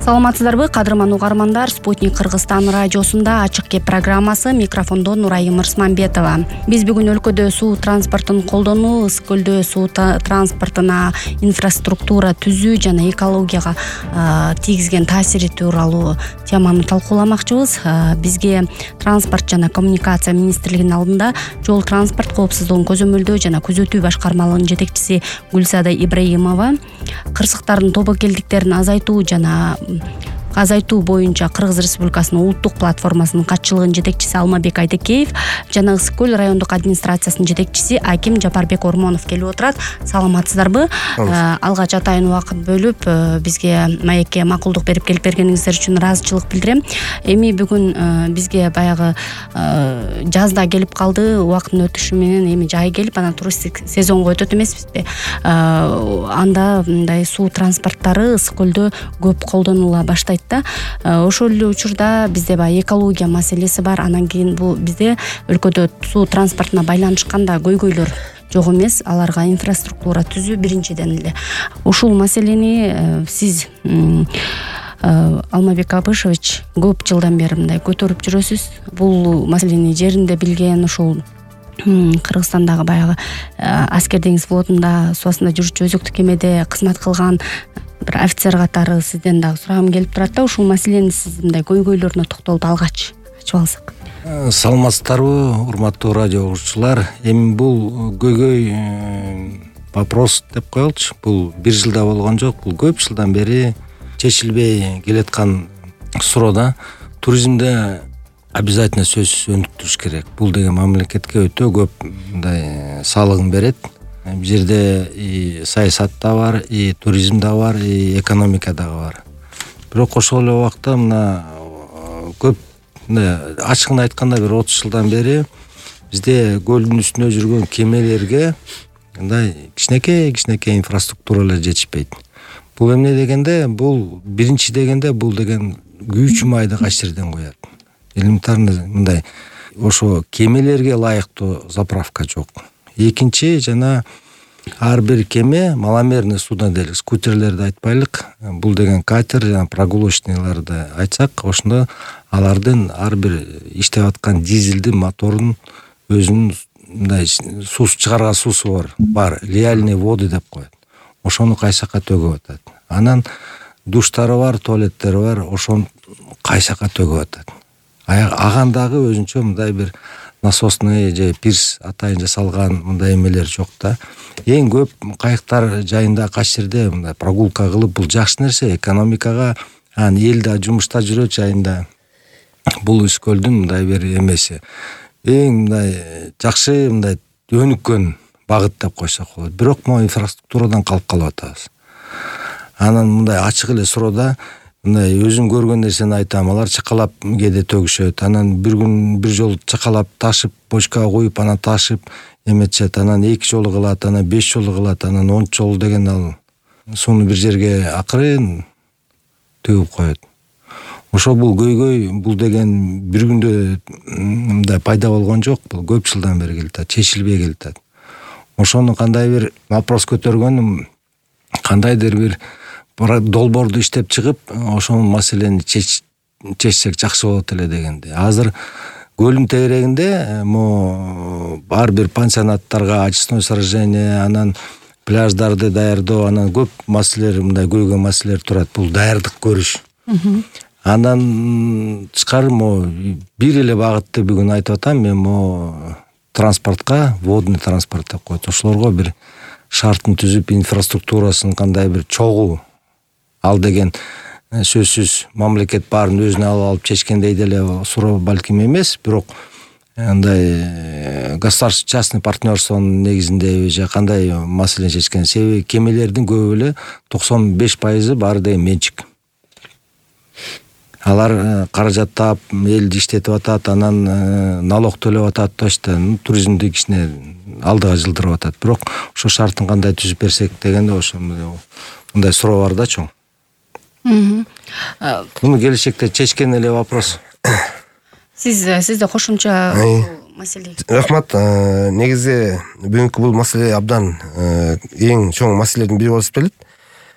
Саламатсыздарбы, кадырман угармандар. Спутник Кыргызстан радиосунда ачык кеп программасы, микрофондо Нурайым Мырсманбетова. Биз бүгүн өлкөдө суу транспортун колдонуу, ысык көлдө суу транспортуна инфраструктура түзүү жана экологияга тийгизген таасири тууралуу теманы талкууламакчыбыз. Бизге транспорт жана коммуникация министрлигинин алдында жол транспорт коопсуздугун көзөмөлдөө жана күзөтүү башкармалыгынын жетекчиси Гүлсада Ибраимова, кырсыктардын тобокелдиктерин азайтуу боюнча Кыргыз Республикасынын улуттук платформасынын катчылыгынын жетекчиси Алмабек Айдекеев жана Ысык көл райондук администрациясынын жетекчиси Аким Жапарбек Ормонов келип отурат. Саламатсыздарбы? Алгач атайын убакыт бөлүп бизге маекке макулдук берип келип бергениңиздер үчүн ыраазычылык билдирем. Эми бүгүн бизге баягы жазда келип калды, убакыттын өтүшү менен эми жай келип, анан туристтик сезонго өтөт эмеспизби? Анда мындай суу транспорттары ысык көлдө көп колдонула баштайт. Ошол эле учурда бизде баягы экология маселеси бар. Анан кийин бул бизде өлкөдө суу транспортуна байланышкан да көйгөйлөр жок эмес. Аларга инфраструктура түзүү биринчиден эле. Ушул маселени сиз Алмабек Абышевич көп жылдан бери мындай көтөрүп жүрөсүз. Бул маселени жеринде билген, ушул Кыргызстандагы баягы аскер деңиз флотунда суу астында жүрчү өзөктүк кемеде кызмат кылган бир офицер катары сизден дагы сурагым келип турат да, ушул маселени сиз мындай көйгөйлөрүнө токтолуп алгач ачып алсак. Саламатсыздарбы, урматтуу радио угуучулар. Эми бул көйгөй вопрос деп коелучу. Бул бир жылда болгон жок, бул көп жылдан бери чечилбей келаткан суроо да. Туризмде обязательно сөзсүз өнүктүрүш керек. Бул деген мамлекетке өтө көп мындай салыгын берет. Бул жерде и саясат да бар, и туризм да бар, и экономика дагы бар. Бирок ошол эле убакта мына көп ачыгын айтканда бир 30 жылдан бери бизде көлдүн үстүндө жүргөн кемелерге мындай кичинекей инфраструктуралар жетишпейт. Бул эмне дегенде, бул биринчи дегенде бул деген күйүүчү майды кайсы жерден куят. Элементарный мындай ошо кемелерге ылайыктуу заправка жок. Экинчи, жана ар бир кеме маломерный судноделик, скутерлерди айтпайлык, бул деген катер жана прогулочныйларды айтсак, ошондо алардын ар бир иштеп аткан дизелдин моторунун өзүнүн мындай суу чыгарган суусу бар, реальный воды деп коет. Ошону кайсакка төгүп атат. Анан душтары бар, туалеттери бар, ошону кайсакка төгүп атат. Агандагы өзүнчө мындай бир насосный же пирс атайын жасалган мындай эмелер жок да. Эң көп кайыктар жайында кайсы жерде мындай прогулка кылып, бул жакшы нерсе, экономикага, эл да жумушта жүрөт жайында. Бул ысык көлдүн мындай бир эмеси. Эң мындай жакшы мындай өнүккөн багыт деп койсок болот. Бирок могу инфраструктурадан калып атабыз. Анан мындай ачык эле суроодо мындай өзүм көргөн нерсени айтам. Алар чакалап кээде төгүшөт. Анан бир күн бир жолу чакалап ташып, бочкага коюп, анан ташып эметишет. Анан 2 жолу кылат, анан 5 жолу кылат, анан 10 жолу деген ал сууну бир жерге акырын төгүп коет. Ошо бул көйгөй, бул деген бир күндө мындай пайда болгон жок. Бул көп жылдан бери келатат, чечилбей келатат. Ошону кандай бир вопрос көтөргөнүм, кандайдыр бир долбоорду иштеп чыгып, ошол маселени чечсек жакшы болот эле дегенде. Азыр көлдүн тегерегинде ар бир пансионаттарга очистной сооружение, анан пляждарды даярдоо, анан көп маселелер, мындай көйгөй маселелер турат. Бул даярдык көрүш. Андан тышкары бир эле багытты бүгүн айтып атам. Мен транспортко, водный транспорт деп коет. Ошолорго бир шартын түзүп, инфраструктурасын кандай бир чогуу ал деген сөзсүз мамлекет баарын өзүнө алып чечкендей деле суроо балким эмес, бирок андай государственный частный партнерствонун негизинде же кандай маселе чечкен. Себеби кемелердин көбү эле 95% баары деген менчик. Алар каражаттап, элди иштетип атат, анан налог төлөп атат, точно туризмди кичине алдыга жылдырып атат. Бирок ошо шартын кандай түзүп берсек дегенде ошо мындай суроо бар да чоң. Муну келечекте чечкен эле вопрос. Сизде кошумча маселе. Рахмат. Негизи бүгүнкү бул маселе абдан эң чоң маселелердин бири болуп келет.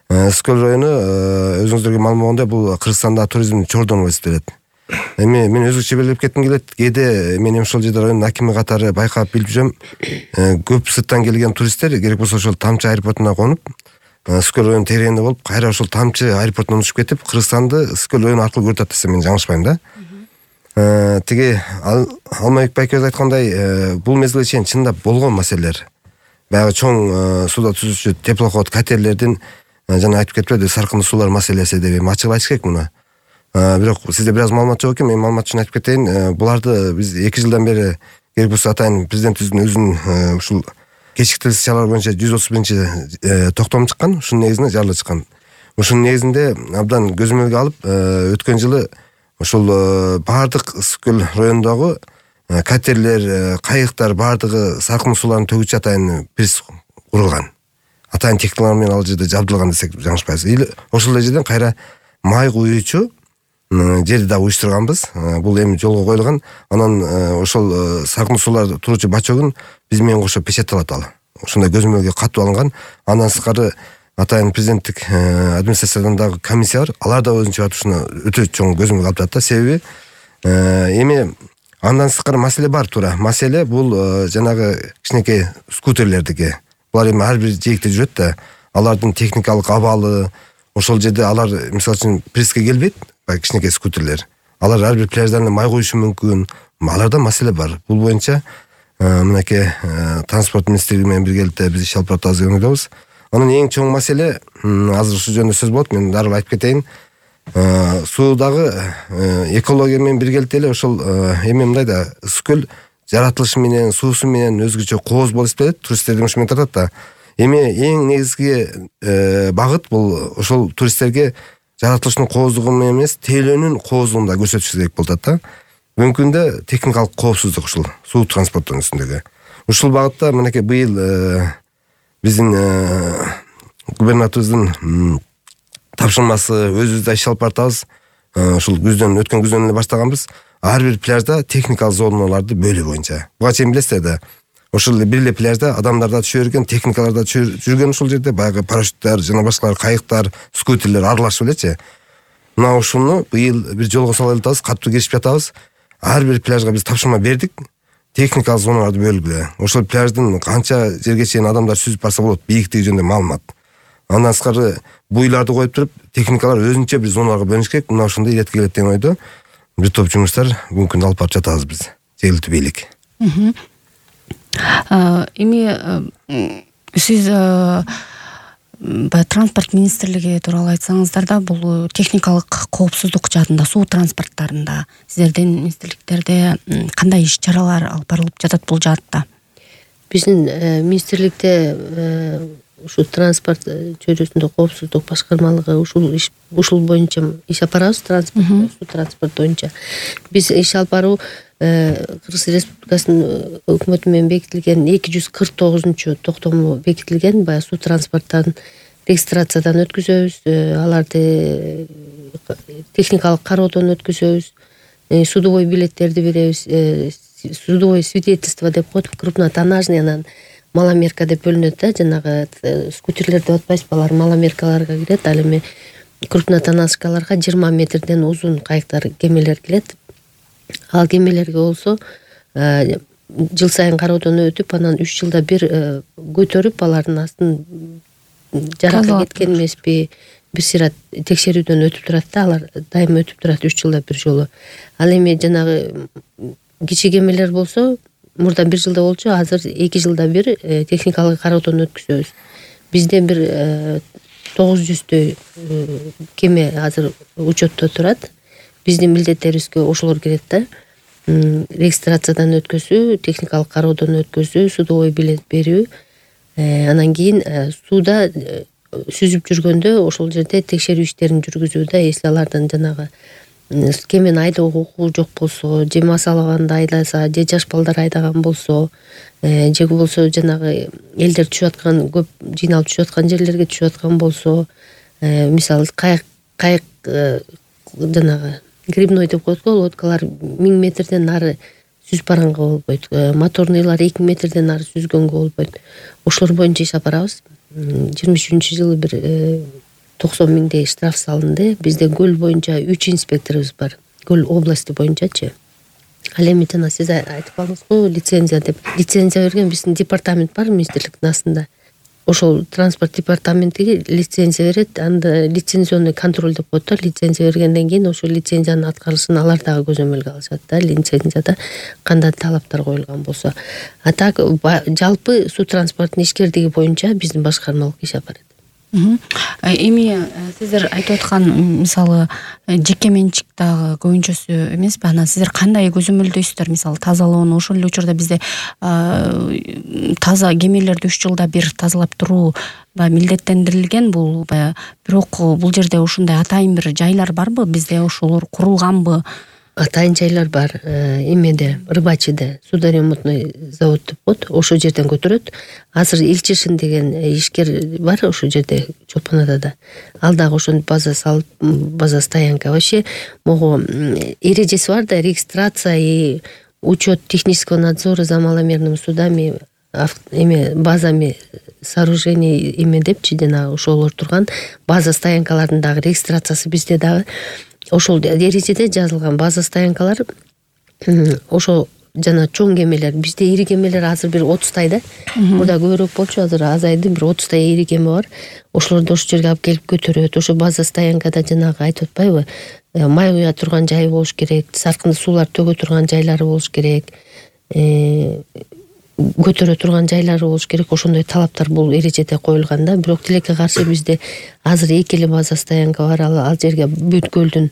Ысык-Көл району өзүңүздөргө маалым болгондой бул Кыргызстанда туризмдин чордону болуп эсептелет. Эми мен өзгөчө белгилеп кетким келет. Кээде мен ошол жерде райондун акими катары байкап билип жүрөм. Көп сырттан келген туристтер керек болсо ошол Тамчы аэропортуна конуп, Ысык-Көл районунун тегерегинде болуп, кайра ошол Тамчы аэропортунан учуп кетип, Кыргызстанды Ысык-Көл району аркылуу көрүп атат десем мен жаңылышпайм да. Тиги Алмабек байкебиз айткандай, бул мезгилге чейин чындап болгон маселелер. Баягы чоң сууда түзүүчү теплоход катерлердин жана айтып кетпеди саркындуу суулар маселеси деп эми ачык айтыш керек муну. Бирок сизде бир аз маалымат жок экен, мен маалымат үчүн айтып кетейин. Буларды биз 2 жылдан бери керек болсо атайын президентибиздин өзүнүн ушул кечиктирилиз чаралар боюнча 131 токтом чыккан, ушунун негизинде жарыла чыккан. Ушунун негизинде абдан көзөмөлгө алып, өткөн жылы ошол баардык Ысык-Көл районундагы катерлер, кайыктар баардыгы саркындуу сууларын төгүүчү атайын приз курулган. Атайын техникалар менен ал жерде жабдылган десек жаңылышпайбыз. Или ошол жерден кайра май куюучу жерди да уюштурганбыз. Бул эми жолго коюлган. Анан ошол саркындуу суулар туруучу бачогун биз менен кошо печатталат ал. Ошондой көзөмөлгө катуу алынган. Андан сырткары атайын президенттик администрациядан дагы комиссия бар. Алар да өзүнчө ушуну өтө чоң көзөмөлгө алып жатат. Себеби эми андан сырткары маселе бар туура. Маселе бул жанагы кичинекей скутерлердики. Булар эми ар бир жээкте жүрөт да. Алардын техникалык абалы, ошол жерде алар мисалы үчүн преске келбейт. Кичинекей скутерлер. Алар ар бир пляждарына май куюшу мүмкүн. Аларда маселе бар. Бул боюнча мынакей транспорт министрлиги менен биргеликте биз иш алып баратабыз деп ойлойбуз. Анын эң чоң маселе азыр ушул жөнүндө сөз болот, мен дароо айтып кетейин. Суудагы экология менен биргеликте эле ошол эми мындай да Ысык-Көл жаратылышы менен, суусу менен өзгөчө кооз болуп эсептелет. Туристтерди ошо менен тартат да. Эми эң негизги багыт бул ошол туристтерге жаратылыштын кооздугу менен эмес, тейлөөнүн кооздугун да көрсөтүш керек болуп атат да. Бүгүнкү күндө техникалык коопсуздук ушул суу транспортунун үстүндөгү. Ушул багытта мынакей быйыл биздин губернаторубуздун тапшырмасы өзүбүз да иш алып баратабыз. Ушул өткөн күздөн эле баштаганбыз. Ар бир пляжда техникалык зоналарды бөлүү боюнча. Буга чейин билесиздер да. Ошол бир эле пляжда адамдар да түшө берген, техникалар да жүргөн ушул жерде, баягы парашюттар жана башкалар, кайыктар, скутерлер аралашып элечи. Мына ушуну быйыл бир жолго сала элатабыз, катуу киришип жатабыз. Ар бир пляжга биз тапшырма бердик. Техникалык зоналарды бөлгүлө. Ошол пляждын канча жерге чейин адамдар сүзүп барса болот, бийиктиги жөнүндө маалымат. Андан сырткары буйларды коюп туруп, техникалар өзүнчө бир зоналарга бөлүнүш керек. Мына ошондой иретке келет деген ойдо бир топ жумуштар бүгүнкү күндө алып барып жатабыз биз. Жергиликтүү бийлик. Эми сиз транспорт министрлиги тууралуу айтсаңыздар да, бул техникалык коопсуздук жаатында суу транспорттарында сиздердин министрликтерде кандай иш чаралар алып барылып жатат бул жаатта? Биздин министрликте ушул транспорт чөйрөсүндө коопсуздук башкармалыгы ушул боюнча иш алып барабыз. Суу транспорт боюнча биз иш алып баруу Кыргыз Республикасынын өкмөтү менен бекитилген 249 токтому бекитилген. Баягы суу транспорттарын регистрациядан өткүзөбүз, аларды техникалык кароодон өткүзөбүз, судовой билеттерди беребиз, судовой свидетельство деп коет, крупнотоннажный, анан маломерка деп бөлүнөт да, жанагы скутерлер деп атпайсызбы, алар маломеркаларга кирет. Ал эми крупнотоннажкаларга 20 метрден узун кайыктар, кемелер келет. Ал кемелерге болсо жыл сайын кароодон өтүп, анан 3 жылда бир көтөрүп, алардын астын жаракка кеткен эмеспи, бир сыйра текшерүүдөн өтүп турат да, алар дайыма өтүп турат 3 жылда бир жолу. Ал эми жанагы кичи кемелер болсо мурда 1 жылда болчу, азыр 2 жылда бир техникалык кароодон өткүзөбүз. Бизде бир 900 кеме азыр учетто турат. Биздин милдеттерибизге ошолор кирет да. Регистрациядан өткөзүү, техникалык кароодон өткөзүү, судовой билет берүү. Анан кийин сууда сүзүп жүргөндө ошол жерде текшерүү иштерин жүргүзүү да, если алардын жанагы кемени айдоого укугу жок болсо, же масалаганда айдаса, же жаш балдар айдаган болсо, же болсо жанагы элдер түшүп аткан, көп жыйналып түшүп аткан жерлерге түшүп аткан болсо, мисалы кайык жанагы грибной деп коет го, лодкалар 1000 метрден нары сүзүп барганга болбойт. Моторныйлар 2000 метрден нары сүзгөнгө болбойт. Ошолор боюнча иш алып барабыз. 23-жылы бир 90 миңдей штраф салынды. Бизде көл боюнча 3 инспекторубуз бар. Көл области боюнчачы. Ал эми жана сиз айтып калдыңыз го, лицензия деп. Лицензия берген биздин департамент бар министрликтин астында. Ошол транспорт департаментиге лицензия берет, анда лицензионный контроль деп коет да. Лицензия бергенден кийин ошол лицензиянын аткарылышын алар дагы көзөмөлгө алышат да. Лицензияда кандай талаптар коюлган болсо. А так жалпы суу транспорттун ишкердиги боюнча биздин башкармалык иш алып барат. Эми сиздер айтып аткан мисалы жеке менчик дагы көбүнчөсү эмеспи? Анан сиздер кандай көзөмөлдөйсүздөр? Мисалы тазалоону ошол эле учурда бизде таза кемелерди 3 жылда бир тазалап туруу баягы милдеттендирилген. Бул бирок бул жерде ушундай атайын бир жайлар барбы? Бизде ошолор курулганбы? Атайын жайлар бар. Эмеде, Рыбачыда судоремонтный завод деп коет. Ошол жерден көтөрөт. Азыр Илчишин деген ишкер бар ошол жерде, Чолпон Атада. Ал дагы ошону база салып, база стоянка. Вообще могу эрежеси бар да, регистрация и учет технического надзора за маломерными судами, базами сооружений депчи, жана ошолор турган база стоянкалардын дагы регистрациясы бизде дагы. Ошол эрежеде жазылган база стоянкалар ошо жана чоң кемелер. Бизде ири кемелер азыр бир 30 да. Мурда көбүрөөк болчу, азыр азайды. Бир 30 ири кеме бар. Ошолорду ошол жерге алып келип көтөрөт. Ошо база стоянкада жанагы айтып атпайбы? Май куя турган жайы болуш керек, саркынды суулар төгө турган жайлары болуш керек. Көтөрө турган жайлары болуш керек. Ошондой талаптар бул эрежеде коюлган да. Бирок тилекке каршы бизде азыр эки эле база стоянка бар. Ал жерге бүт көлдүн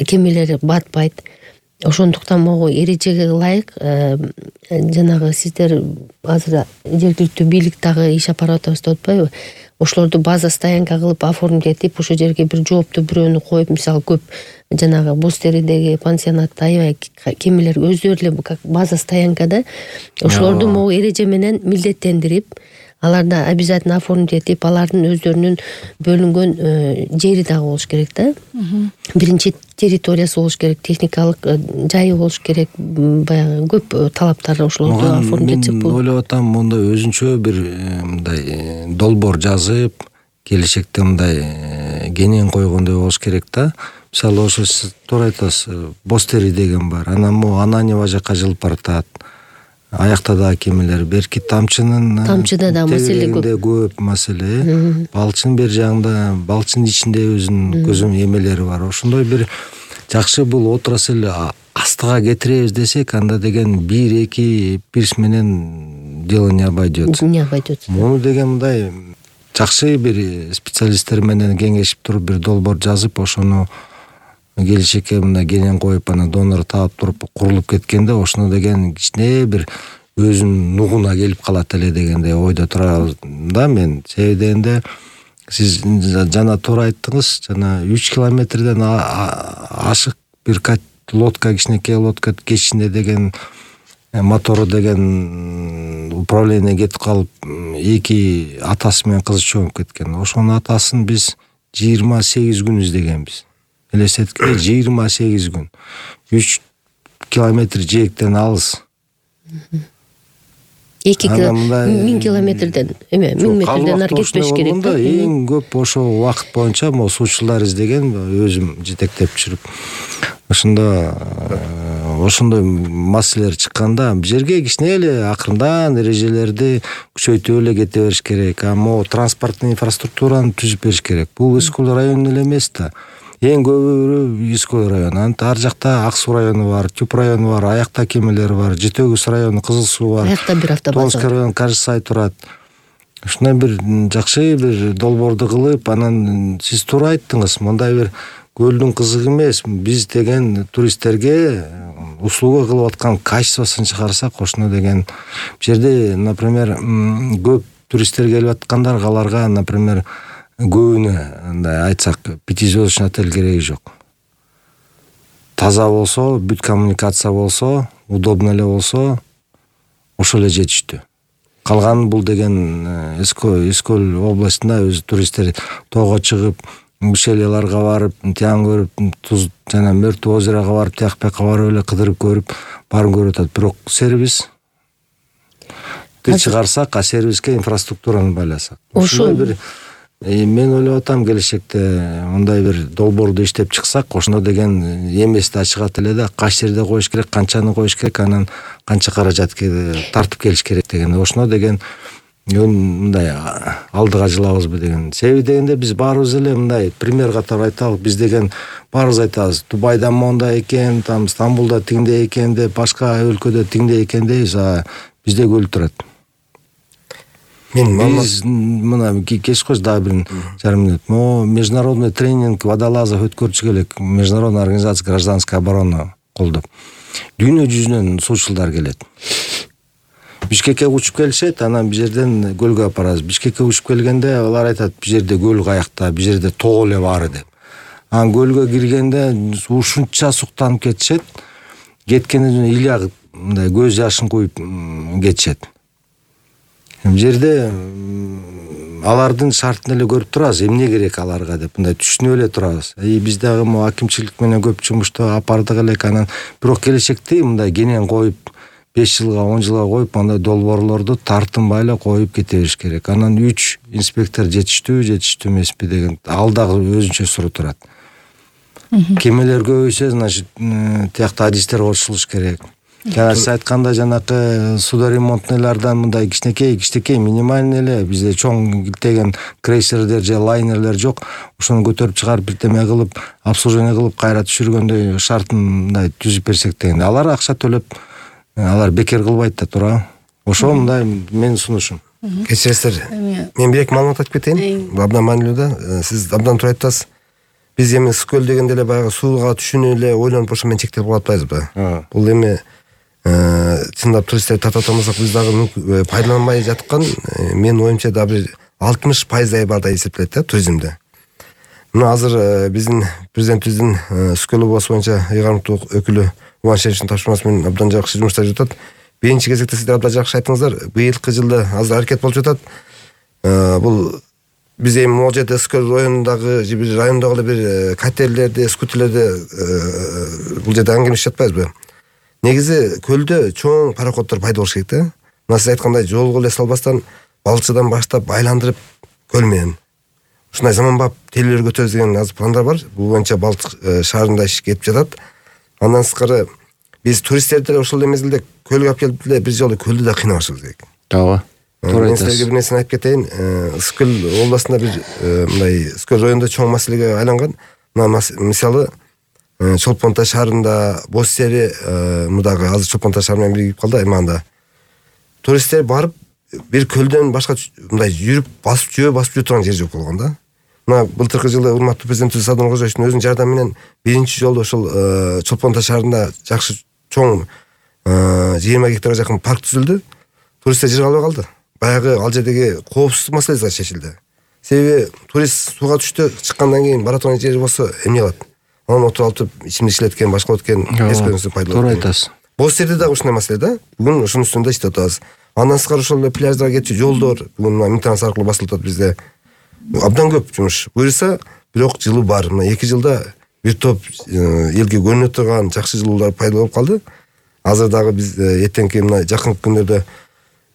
кемелери батпайт. Ошондуктан могу эрежеге ылайык жанагы сиздер азыр жергиликтүү бийлик дагы иш алып барып атабыз деп атпайбы? Ошолорду база стоянка кылып оформить этип, ошол жерге бир жооптуу бирөөнү коюп, мисалы көп жанагы Бостеридеги пансионатта аябай кемелер өздөрү эле как база стоянкада ошолорду могу эреже менен милдеттендирип, аларды обязательно оформить этип, алардын өздөрүнүн бөлүнгөн жери дагы болуш керек да. Биринчи территориясы болуш керек, техникалык жайы болуш керек, баягы көп талаптар ошолорду оформить этип. Мен ойлоп атам, монда өзүнчө бир мындай долбоор жазып, келечекте мындай кенен койгондой болуш керек да. Мисалы ошо сиз туура айтасыз, Бостери деген бар. Анан могу Ананьево жака жылып баратат. Аякта да кемелер, берки тамчыда да маселе көп маселе. Балчын бер жагында, балчын ичинде өзүнүн көзөм эмелери бар. Ошондой бир жакшы бул отрасль астыга кетиребиз десек, анда деген 1-2 пирс менен дело не обойдется. Муну деген мындай жакшы бир специалисттер менен кеңешип туруп бир долбоор жазып, ошону келечекке мына кенен коюп, ана донор таап туруп курулуп кеткенде, ошону деген кичине бир өзүнүн нугуна келип калат эле дегендей ойдо турабыз да мен. Себеби дегенде сиз жана туура айттыңыз, жана 3 километрден ашык бир лодка, кичинекей лодка кечинде деген мотору деген управление кетип калып, эки атасы менен кызы чогуп кеткен. Ошонун атасын биз 28 күн издегенбиз. Элестеткиле, 28 күн. 3 километр жээктен алыс. 1000 километрден, 1000 метрден ары кетпеш керек да. Эң көп ошо убакыт боюнча могу суучулар издеген, өзүм жетектеп жүрүп. Ошондой маселелер чыкканда, бул жерге кичине эле акырындан эрежелерди күчөйтүп эле кете бериш керек. Могу транспорттун инфраструктураны түзүп бериш керек. Бул Искөл району эле эмес да. Эң көбү Искөл району. Ар жакта Ак суу району бар, Түп району бар, аякта кемелер бар, Жетөгүз району, Кызыл суу бар. Аякта бир автобаза. Томский району Кажысай турат. Ушундай бир жакшы бир долбоорду кылып, анан сиз туура айттыңыз, мындай бир көлдүн кызыгы эмес, биз деген туристтерге услуга кылып аткан качествосын чыгарсак, ошону деген бул жерде, например, көп туристтер келип аткандар, аларга, например, көбүнө андай айтсак 5-звездочный отель кереги жок. Таза болсо, бүт коммуникация болсо, удобно эле болсо, ошол эле жетиштүү. Калган бул деген Искөл областында өзү туристтер тоого чыгып, Бишелеларга барып, тиян көрүп, Туз жана Мөртүү озерого барып, тияк-бияка барып эле кыдырып көрүп, баарын көрүп атат. Бирок сервис чыгарсак, сервиске инфраструктураны байласак. Ошол бир Мен ойлоп атам, келечекте мындай бир долбоорду иштеп чыксак, ошондо деген эмести ачыгат эле да, кайсы жерде коюш керек, канчаны коюш керек, анан канча каражат тартып келиш керек деген. Ошондо деген мындай алдыга жылабызбы деген. Себеби дегенде биз баарыбыз эле мындай пример катары айталы, биз деген баарыбыз айтабыз, Дубайда мондай экен, там Стамбулда тигиндей экен деп, башка өлкөдө тигиндей экен дейбиз, а бизде өлүп турат. Биз мына кеч кош дагы 1,5 мүнөт. Международный тренинг водолазов өткөрчү келек, Международная организация гражданской обороны колдоп. Дүйнө жүзүнөн суучулдар келет. Бишкекке учуп келишет, анан бир жерден көлгө апарабыз. Бишкекке учуп келгенде алар айтат, бир жерде көл каякта, бир жерде тоо эле баары деп. Анан көлгө киргенде ушунча суктанып кетишет. Кеткенден ыйлак мындай көз жашын куюп кетишет. Бул жерде алардын шартын эле көрүп турабыз, эмне керек аларга деп мындай түшүнүп эле турабыз. Биз дагы акимчилик менен көп жумушту апардык элек, анан бирок келечекте мындай кенен коюп 5 жылга 10 жылга коюп, андай долбоорлорду тартынбай эле коюп кете бериш керек. Анан 3 инспектор жетиштүү эмеспи деген ал дагы өзүнчө суроо турат. Кемелер көбөйсө, значит, тиякта адистер кошулуш керек. Жана сиз айтканда жанакы судоремонтныйлардан мындай кичинекей минимальный эле, бизде чоң килтеген крейсерлер же лайнерлер жок. Ошону көтөрүп чыгарып бирдеме кылып, обслуживание кылып кайра түшүргөндөй шартын мындай түзүп берсек деген. Алар акча төлөп, алар бекер кылбайт да тура. Ошо мындай менин сунушум. Кечиресиздер. Мен бир эки маалымат айтып кетейин. Бул абдан маанилүү да. Сиз абдан туура айттыңыз. Биз эми скөл дегенде эле баягы сууга түшүүнү эле ойлонуп ошо менен чектелип калып атпайбызбы? Бул эми чындап туристтерди тартып атамасак, биз дагы пайдаланбай жаткан, менин оюмча дагы бир 60% бар да эсептелет да туризмде. Мына азыр биздин президентибиздин Скөл обласу боюнча ыйгарымдуу өкүлү Улан Шериповичтин тапшырмасы менен абдан жакшы жумуштар жатат. Биринчи кезекте сиздер абдан жакшы айттыңыздар. Быйылкы жылда азыр аракет болуп жатат. Бул биз эми могул жерде Скөл районундагы же бир райондогу бир катерлерди, скутерлерди бул жерде аңгемелешип жатпайбызбы? Негизи көлдө чоң пароходдор пайда болуш керек да. Мына сиз айткандай жолго эле салбастан балчыдан баштап айландырып көл менен ушундай заманбап телелер көтөрөбүз деген азыр пландар бар. Бул боюнча Балтык шаарында иш кетип жатат. Андан сырткары биз туристтерди деле ошол мезгилде көлгө алып келип деле бир жолу көлдү да кыйнабашыбыз керек. Ооба. Мен силерге бир нерсени айтып кетейин. Скөл областында бир мындай Скөл районунда чоң маселеге айланган. Мына мисалы Чолпон Таш шаарында Боз Сери мудагы азыр Чолпон Таш шаар менен биригип калды аймагында. Туристтер барып бир көлдөн башка мындай жүрүп басып жүрө турган жер жок болгон да. Мына былтыркы жылы урматтуу президентибиз Садыр Кожоевичтин өзүнүн жардамы менен биринчи жолу ошол Чолпон Таш шаарында жакшы чоң 20 гектарга жакын парк түзүлдү. Туристтер жыргалбай калды. Баягы ал жердеги коопсуздук маселеси чечилди. Себеби турист сууга түштү, чыккандан кийин бара турган жери болсо эмне кылат? Анан отуруп алып ичимдик ичилеткен, башка өткөн эскөнүсү пайда болот. Туура айтасыз. Боз Серде дагы ушундай маселе да. Бүгүн ушунун үстүндө иштеп атабыз. Андан сырткары ошол пляждарга кетчү жолдор бүгүн интернет аркылуу басылып атат бизде. Абдан көп жумуш. Буюрса, бирок жылуу бар. Мына 2 жылда бир топ элге көрүнө турган жакшы жылуулар пайда болуп калды. Азыр дагы биз эртеңки мына жакынкы күндөрдө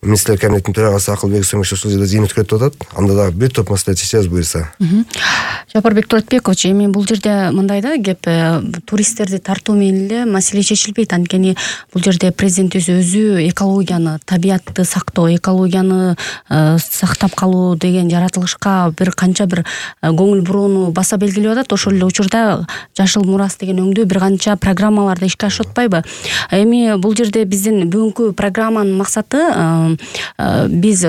Министрлер кабинетинин төрагасы Акылбек Сөмөш ошол жерде жыйын өткөрүп атат. Анда дагы бир топ маселе чечебиз буюрса. Жапарбек Туратбекович, эми бул жерде мындай да кеп туристтерди тартуу менен эле маселе чечилбейт. Анткени бул жерде президентибиз өзү экологияны, табиятты сактоо, экологияны сактап калуу деген жаратылышка бир канча бир көңүл бурууну баса белгилеп атат. Ошол эле учурда Жашыл мурас деген өңдүү бир канча программаларды ишке ашырып атпайбы? Эми бул жерде биздин бүгүнкү программанын максаты биз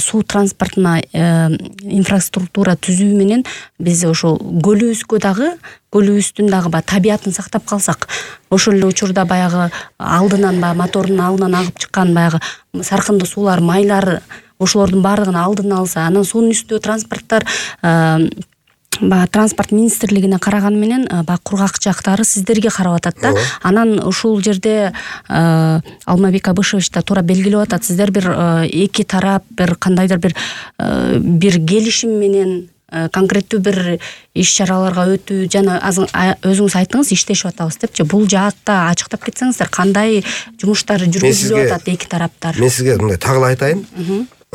суу транспортуна инфраструктура түзүү менен биз ошо көлүбүздүн дагы табиятын сактап калсак, ошол эле учурда баягы алдынан мотордун алдынан агып чыккан баягы саркынды суулар, майлар, ошолордун баардыгын алдын алса, анан суунун үстү транспорттор транспорт министрлигине караган менен кургак жактары сиздерге карап атат да. Анан ушул жерде Алмабек Абышевич да туура белгилеп атат. Сиздер бир эки тарап бир кандайдыр бир келишим менен конкреттүү бир иш-чараларга өтүү жана өзүңүз айттыңыз иштешип атабыз депчи. Бул жаатта ачыктап кетсеңиздер, кандай жумуштар жүргүзүлүп атат эки тараптар? Мен сизге мындай тагыла айтайын.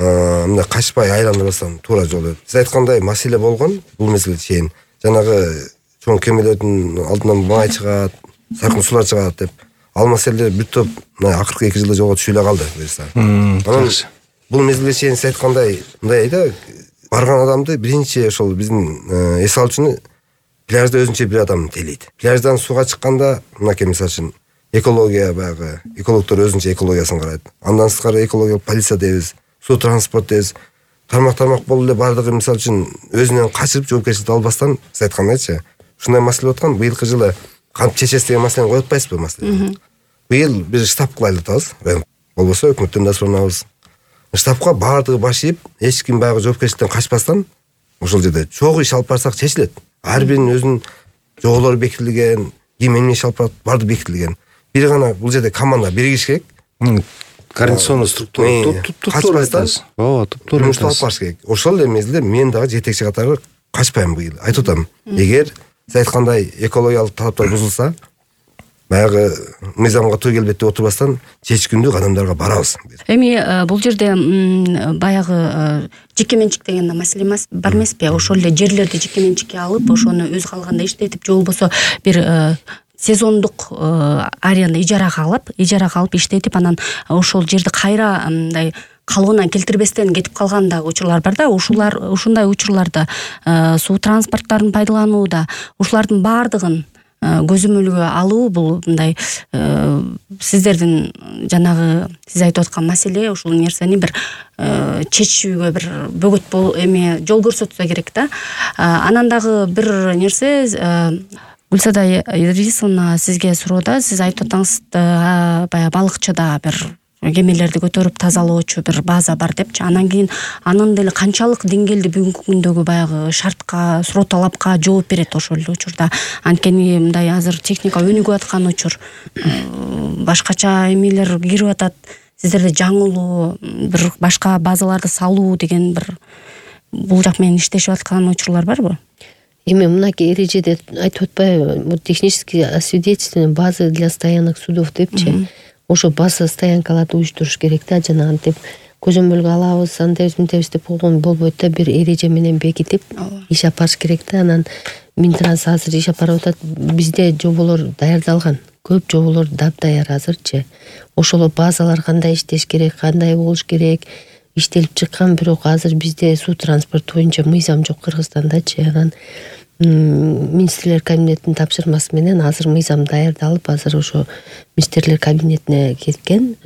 мындай качпай айландырбастан туура жол деп. Сиз айткандай маселе болгон бул мезгилге чейин. Жанагы чоң кемелердин алдынан май чыгат, саркын сулар чыгат деп. Ал маселелер бүт топ акыркы 2 жылда жолго түшүп эле калды буюрса. Анан бул мезгилге чейин сиз айткандай мындай да барган адамды биринчи ошол биздин эс алуучуну пляжда өзүнчө бир адам тейлейт. Пляждан сууга чыкканда мынакей мисалы үчүн экология баягы экологдор өзүнчө экологиясын карайт. Андан сырткары экологиялык полиция дейбиз, суу транспорт дейбиз. Тармак болуп эле бардыгы мисалы үчүн өзүнөн качырып жоопкерчиликти албастан сиз айткандайчы ушундай маселе аткан. Быйылкы жылы кантип чечесиз деген маселени коюп атпайсызбы маселени? Быйыл бир штаб кылайлы атабыз. Болбосо өкмөттөн да суранабыз. Штабка бардыгы баш ийип, эч ким баягы жоопкерчиликтен качпастан ошол жерде чогуу иш алып барсак чечилет. Ар биринин өзүнүн жоголору бекитилген, ким эмне иш алып барат бардыгы бекитилген. Бир гана бул жерде команда биригиш керек. Координационный структура туптуура айтасыз. Ооба, туптуура алып барыш керек. Ошол эле мезгилде мен дагы жетекчи катары качпайм быйыл. Айтып атам. Эгер сиз айткандай экологиялык талаптар бузулса, баягы мыйзамга туу келбейт деп отурбастан чечкиндүү кадамдарга барабыз. Эми бул жерде баягы жеке менчик деген маселе бар эмеспи? Ошол эле жерлерди жеке менчикке алып, ошону өз калганда иштетип, же болбосо бир сезондук аренда ижарага алып иштетип, анан ошол жерди кайра мындай калыбына келтирбестен кетип калган да учурлар бар да. Ушундай учурларда суу транспорттарын пайдаланууда ушулардын баардыгын көзөмөлгө алуу бул мындай сиздердин жанагы сиз айтып аткан маселе, ушул нерсени бир чечүүгө бир бөгөт жол көрсөтсө керек да. Анан дагы бир нерсе, Гүлсада Идрисовна, сизге суроодо сиз айтып атаңыз, баягы балыкчыда бир кемелерди көтөрүп тазалоочу бир база бар депчи. Анан кийин анын деле канчалык деңгээлде бүгүнкү күндөгү баягы шартка, суроо талапка жооп берет ошол эле учурда. Анткени мындай азыр техника өнүгүп аткан учур, башкача эмелер кирип атат. Сиздерде жаңылуу бир башка базаларды салуу деген бир бул жак менен иштешип аткан учурлар барбы? Эми мынакей эрежеде айтып атпайбы, технически освидетельствование базы для стоянок судов депчи. Ошо база стоянкаларды уюштуруш керек да, жана антип көзөмөлгө алабыз, андайбыз мынтебиз деп койгон болбойт да, бир эреже менен бекитип иш алып барыш керек да. Анан Минтранс азыр иш алып барып атат. Бизде жоболор даярдалган, көп жоболор даяр азырчы. Ошол базалар кандай иштеш керек, кандай болуш керек иштелип чыккан, бирок азыр бизде суу транспорт боюнча мыйзам жок Кыргызстандачы. Анан министрлер кабинетинин тапшырмасы менен азыр мыйзам даярдалып, азыр ошо министрлер кабинетине кеткен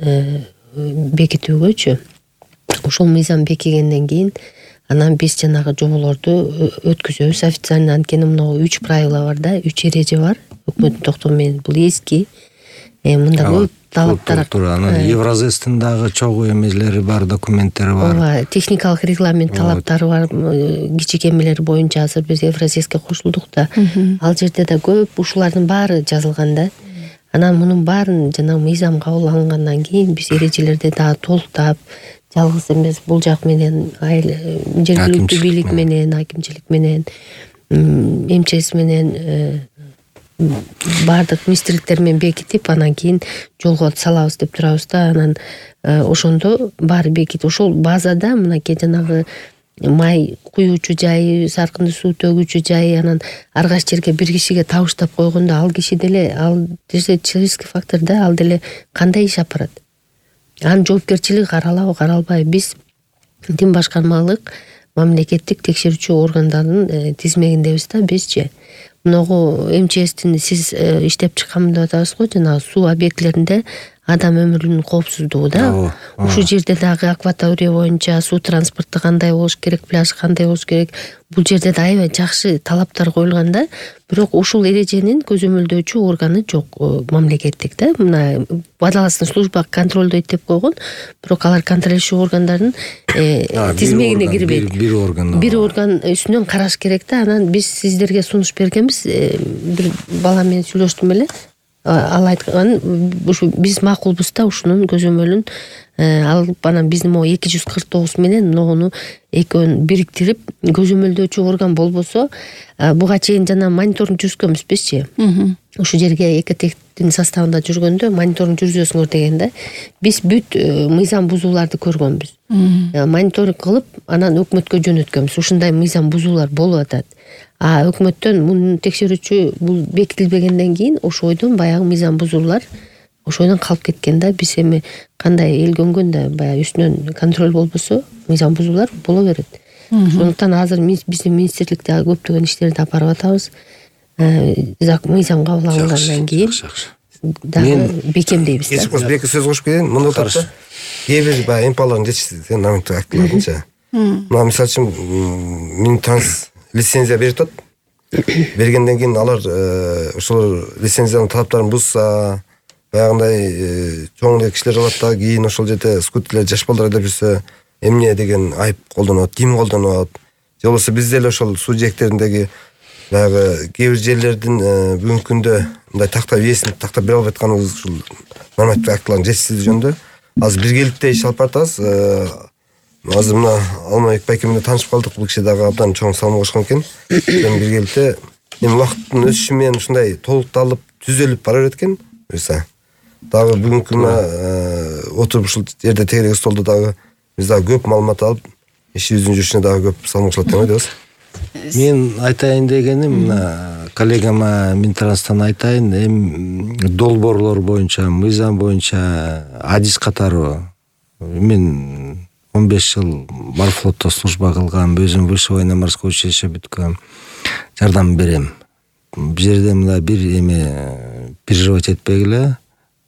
бекитүүгөчү. Ошол мыйзам бекигенден кийин анан биз жанагы жоболорду өткүзөбүз официально. Анткени мына 3 правила бар да, 3 эреже бар өкмөттүн токтому менен. Бул эски, мында көп талаптар. Анан Евразэстин дагы чогуу эмелери бар, документтери бар. Ооба, техникалык регламент талаптары бар. Кичи эмелер боюнча азыр биз Евразэске кошулдук да. Ал жерде да көп ушулардын баары жазылган да. Анан мунун баарын жана мыйзам кабыл алынгандан кийин биз эрежелерди дагы толуктап, жалгыз эмес бул жак менен жергиликтүү бийлик менен, акимчилик менен, МЧС менен баардык министрликтер менен бекитип, анан кийин жолго салабыз деп турабыз да. Анан ошондо баары бекитип, ошол базада мынакей жанагы май куюучу жайы, саркынды суу төгүүчү жайы, анан ар кайсы жерге бир кишиге табыштап койгондо ал киши деле, ал человеческий фактор да, ал деле кандай иш алып барат, анын жоопкерчилиги каралабы каралбайбы. Биз дин башкармалык мамлекеттик текшерүүчү органдардын тизмегиндебиз да бизчи. Мынагу МЧСтин сиз иштеп чыккан деп атабыз го, жана суу объектилеринде адам өмүрүнүн коопсуздугу да. Ушул жерде дагы акватория боюнча суу транспорту кандай болуш керек, пляж кандай болуш керек, бул жерде да аябай жакшы талаптар коюлган да. Бирок ушул эреженин көзөмөлдөөчү органы жок мамлекеттик да. Мына водолазный служба контролдойт деп койгон, бирок алар контролдөөчү органдардын тизмегине кирбейт. Бир орган үстүнөн караш керек да. Анан биз сиздерге сунуш бергенбиз, бир бала менен сүйлөштүм эле. Ал айткан, ушу биз макулбуз да, ушунун көзөмөлүн алып, анан биздин могу 249 менен могуну экөөнү бириктирип, көзөмөлдөөчү орган болбосо, буга чейин жана мониторинг жүргүзгөнбүз бизчи. ушул жерге экотектин составында жүргөндө мониторинг жүргүзөсүңөр дегенде биз бүт мыйзам бузууларды көргөнбүз. Мониторинг кылып анан өкмөткө жөнөткөнбүз. Ушундай мыйзам бузуулар болуп атат. Өкмөттөн муну текшерүүчү бул бекитилбегенден кийин ошойдон баягы мыйзам бузуулар ошойдон калып кеткен да. Биз эми кандай эл көнгөндө баягы үстүнөн контроль болбосо мыйзам бузуулар боло берет. Ошондуктан азыр биздин министрликте көптөгөн иштерди алып атабыз. Мыйзам кабыл алынгандан кийин дагы бекемдейбиз. Бир эки сөз кошуп кетейин. Мында тарта кээ бир баягы МПалардын жетишсиздиги нормативдик актыларынча. Мына мисалы үчүн Минтранс лицензия берип атат. Бергенден кийин алар ошол лицензиянын талаптарын бузса, баягындай чоң кишилер алат да, кийин ошол жерде скутерлер жаш балдар айдап жүрсө, эмне деген айып колдонот, ким колдонот? Же болбосо биз деле ошол суу жээктериндеги баягы кээ бир жерлердин бүгүнкү күндө мындай тактап ээсин тактап бере албай атканыбыз ушул нормативдик актылардын жетишсиздиги жөнүндө азыр биргеликте иш алып баратабыз. Азыр мына Алмабек байке менен таанышып калдык. Бул киши дагы абдан чоң салым кошкон экен. Биргеликте эми убакыттын өтүшү менен ушундай толукталып, түзөлүп бара берет экен. Буюрса дагы бүгүнкү отуруп ушул жерде тегерек столдо дагы биз дагы көп маалымат алып, ишибиздин жүрүшүнө дагы көп салым кошулат деп ойлойбуз. Мен айтайын дегеним, мына коллегама Минтранстан айтайын, эми долбоорлор боюнча, мыйзам боюнча адис катары мен 15 жыл морфлотто служба кылгам, өзүм высшее военно-морское училище бүткөм, жардам берем. Бул жерде мына бир эме переживать этпегиле,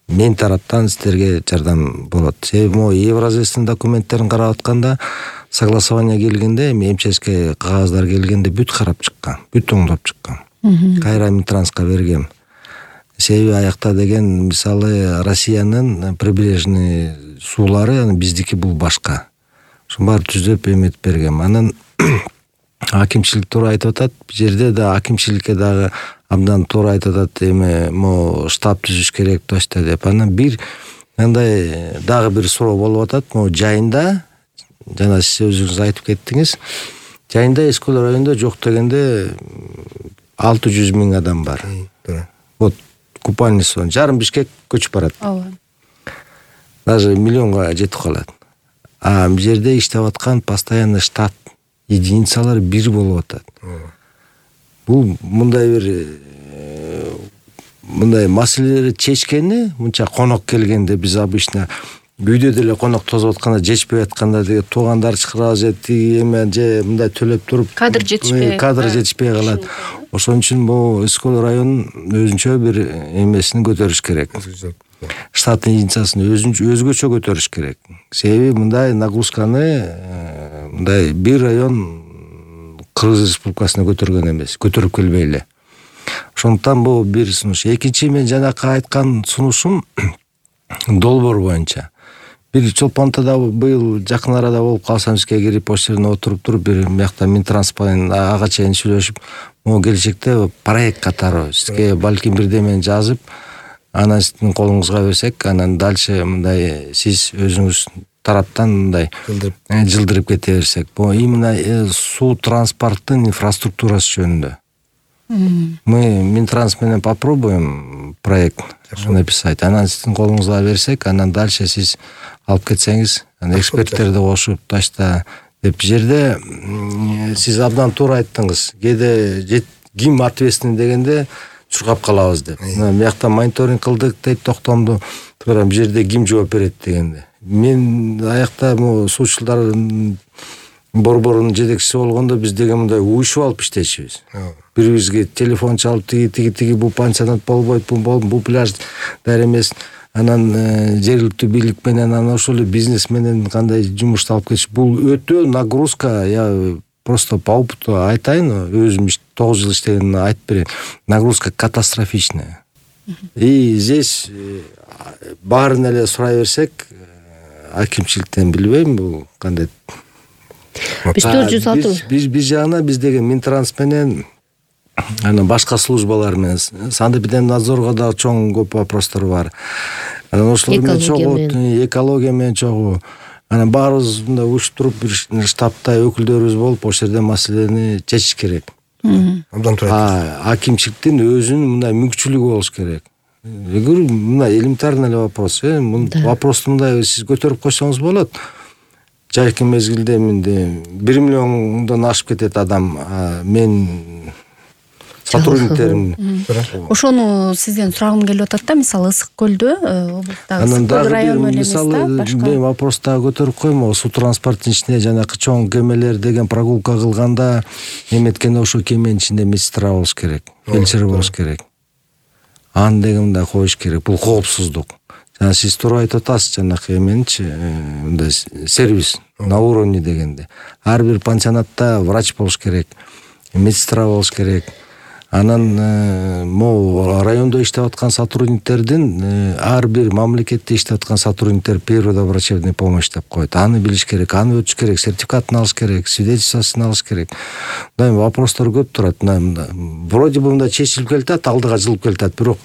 мен тараптан сиздерге жардам болот. Себеби могу Евразэстин документтерин карап атканда, согласование келгенде, эми МЧСке кагаздар келгенде бүт карап чыккан, бүт оңдоп чыккан. Кайра Минтранска бергем. Себеби аякта деген мисалы Россиянын прибрежный суулары, биздики бул башка. Ошонун баары түзөп эметип бергем. Анан акимчилик туура айтып атат. Бул жерде да акимчиликке дагы абдан туура айтып атат. Эми могу штаб түзүш керек точно деп. Анан бир мындай дагы бир суроо болуп атат. Могу жайында, жана сиз өзүңүз айтып кеттиңиз, жайында Эскөл районунда жок дегенде 600 000 адам бар. Вот купальный сон жарым Бишкек көчүп барат. Даже миллионго жетип калат. Бул жерде иштеп аткан постоянно штат единицалар бир болуп атат. Бул мындай маселелерди чечкени, мынча конок келгенде биз обычно үйдө деле конок тосуп атканда, жетишпей атканда деге туугандар чакырабыз, эме же мындай төлөп туруп кадр жетишпей калат. Ошон үчүн бул Эскөл районунун өзүнчө бир эмесин көтөрүш керек. Штаттын единицасын өзгөчө көтөрүш керек. Себеби мындай нагрузканы мындай бир район Кыргыз Республикасына көтөргөн эмес, көтөрүп келбей эле. Ошондуктан бул бир сунуш. Экинчи, мен жанакы айткан сунушум долбоор боюнча. Бир Чолпонтада быйыл жакын арада болуп калсам, бизге кирип ошол жерде отуруп туруп, бир мыякта Минтранс менен ага чейин сүйлөшүп, могу келечекте проект катары сизге балким бирдемени жазып, анан сиздин колуңузга берсек, анан дальше мындай сиз өзүңүз тараптан мындай жылдырып кете берсек. Бул именно суу транспорттун инфраструктурасы жөнүндө. Мы Минтранс менен попробуем проект написать, анан сиздин колуңузга берсек, анан дальше сиз алып кетсеңиз, эксперттерди кошуп ташта деп. Жерде сиз абдан туура айттыңыз. Кээде ким ответственный дегенде чуркап калабыз деп. Биякта мониторинг кылдык дейт, токтомду. Туура бул жерде ким жооп берет дегенде. Мен аякта суучулдар борборунун жетекчиси болгондо биз деген мындай уюшуп алып иштечүбүз. Бирибизге телефон чалып, тиги бул пансионат болбойт, бул пляж дар эмес. Анан жергиликтүү бийлик менен, анан ошол бизнес менен кандай жумушту алып кетиш. Бул өтө нагрузка. Я просто по опыту айтайын, өзүм 9 жыл иштеген айтып берейин. Нагрузка катастрофичная. И здесь баарын эле сурай берсек, акимчиликтен билбейм, бул кандай. Биз 460. Биз жагына биз деген Минтранс менен анан башка службалар менен Санэпидемнадзорго да чоң көп вопростор бар. Анан ошолор менен чогуу, экология менен чогуу. Анан баарыбыз мындай уюштуруп бир штабта өкүлдөрүбүз болуп, ошол жерде маселени чечиш керек. абдан турат. Акимчиликтин өзүнүн мындай мүмкүнчүлүгү болуш керек. Мындай элементарный вопрос. Вопросту мындай сиз көтөрүп койсоңуз болот. Жайкы мезгилде 1 миллиондон ашып кетет адам. Мен сотрудниктерим. Ошону сизден сурагым келип атат да, мисалы Ысык көлдө, облустагы Ысык көл району эле эмес да, башка. Мен вопрос дагы көтөрүп коймок. Суу транспорттун ичинде жанакы чоң кемелер деген прогулка кылганда эметкенде ошо кеменин ичинде медсестра болуш керек, фельдшер болуш керек. Аны деген мындай коюш керек. Бул коопсуздук. Жана сиз туура айтып атасыз, жанакы эменчи, мындай сервис на уровне дегенде. Ар бир пансионатта врач болуш керек, медсестра болуш керек. Анан могу райондо иштеп аткан сотрудниктердин ар бир мамлекетте иштеп аткан сотрудниктер первая врачебная помощь деп коет. Аны билиш керек, аны өтүш керек, сертификатын алыш керек, свидетельствосын алыш керек. Мындай вопростор көп турат. Вроде бы мындай чечилип келатат, алдыга жылып келатат, бирок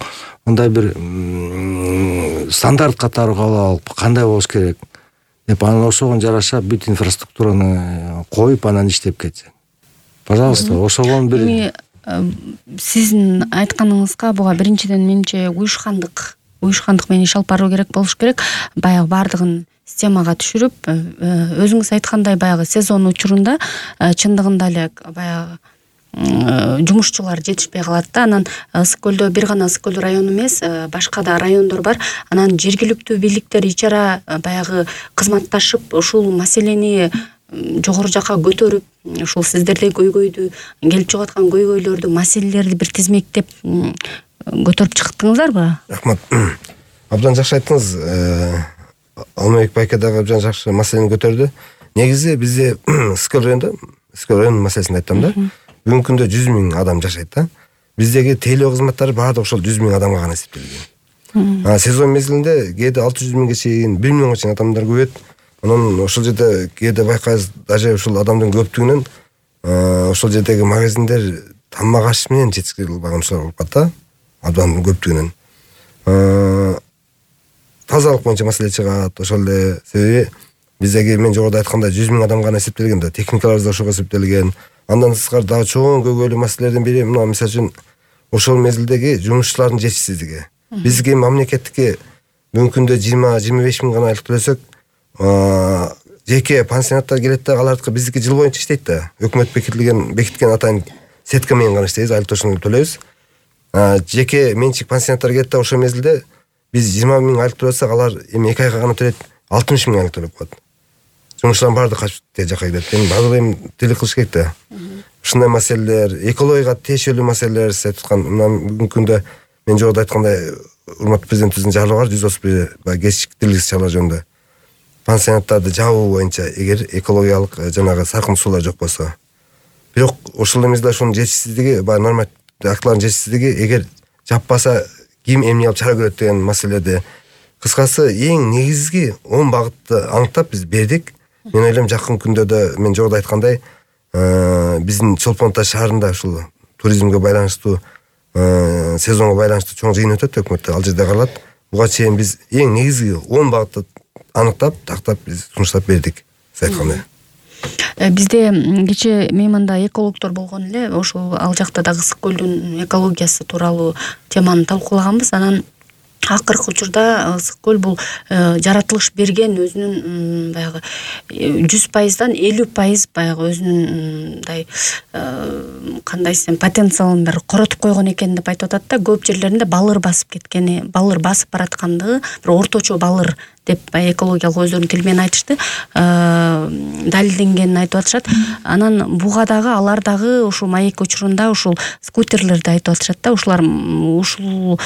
мындай бир стандарт катары кабыл алып кандай болуш керек деп, анан ошого жараша бүт инфраструктураны коюп анан иштеп кетсе. Пожалуйста, ошого бир сиздин айтканыңызга буга биринчиден менимче уюшкандык менен иш алып баруу керек болуш керек. Баягы баардыгын системага түшүрүп, өзүңүз айткандай баягы сезон учурунда чындыгында эле баягы жумушчулар жетишпей калат да. Анан Ысык көлдө бир гана Ысык көл району эмес, башка да райондор бар. Анан жергиликтүү бийликтер ичара баягы кызматташып ушул маселени жогору жакка көтөрүп, ушул сиздердей көйгөйдү, келип чыгып аткан көйгөйлөрдү, маселелерди бир тизмектеп көтөрүп чыктыңыздарбы? Рахмат. Абдан жакшы айттыңыз. Алмабек байке дагы абдан жакшы маселени көтөрдү. Негизи бизде Ысык көл районунун маселесин айттым да. Бүгүнкү күндө 100 000 адам жашайт да. Биздеги тейлөө кызматтары баардыгы ошол 100 000 адамга гана эсептелген. Сезон мезгилинде кээде 600 000ге чейин, 1 миллионго чейин адамдар көбөйт. Анан ошол жерде кээде байкайбыз, даже ушул адамдын көптүгүнөн ошол жердеги магазиндер тамак аш менен жетишкиле албаган болуп калат да. Абдан көптүгүнөн. Тазалык боюнча маселе чыгат. Ошол эле себеби биздеги мен жогоруда айткандай 100 000 адам гана эсептелген да. Техникаларыбыз да ошого эсептелген. Андан тышкары дагы чоң көйгөйлүү маселелердин бири мына мисалы үчүн ошол мезгилдеги жумушчулардын жетишсиздиги. Бизге мамлекеттикке бүгүнкү күндө 20-25 000 гана айлык төлөсөк, жеке пансионаттар келет да, алардыкы биздики жыл боюнча иштейт да. Өкмөт бекиткен атайын сетка менен гана иштейбиз, айлык төлөшүн төлөйбүз. Жеке менчик пансионаттар келет да, ошол мезгилде биз 20 000 айлык төлөсөк, алар эми 2 айга гана төлөйт, 60 000 айлык төлөп коет. Жумушчулардын баардыгы качып тээ жакка кетет. Эми баардыгы эми тилик кылыш керек да. Ушундай маселелер, экологияга тиешелүү маселелер сиз айткан. Мына бүгүнкү күндө мен жогоруда айткандай урматтуу президентибиздин жарлыгы бар 131 кечиктиргис чаралар жөнүндө. Пансионаттарды жабуу боюнча эгер экологиялык жанагы саркын суулар жок болсо. Бирок ошол эмес да, ошонун жетишсиздиги, баягы нормативдик актылардын жетишсиздиги, эгер жаппаса ким эмне алып чара көрөт деген маселеде. Кыскасы эң негизги 10 багытты аныктап биз бердик. Мен ойлойм жакын күндөрдө мен жогоруда айткандай биздин Чолпон Ата шаарында ушул туризмге байланыштуу сезонго байланыштуу чоң жыйын өтөт өкмөттө, ал жерде каралат. Буга чейин биз эң негизги 10 багытты аныктап, тактап биз сунуштап бердик. Сиз айткандай. Бизде кечээ мейманда экологдор болгон эле, ошол ал жакта дагы Ысык көлдүн экологиясы тууралуу теманы талкуулаганбыз. Анан акыркы учурда Ысык көл бул жаратылыш берген өзүнүн баягы 100%дан 50% баягы өзүнүн мындай кандай десем потенциалын бир коротуп койгон экен деп айтып атат да. Көп жерлеринде балыр басып кеткени, балыр басып бараткандыгы, бир орточо балыр деп экологиялык өздөрүнүн тили менен айтышты, далилденгенин айтып атышат. Анан буга дагы алар дагы ушул маек учурунда ушул скутерлерди айтып атышат да. Ушулар ушулдан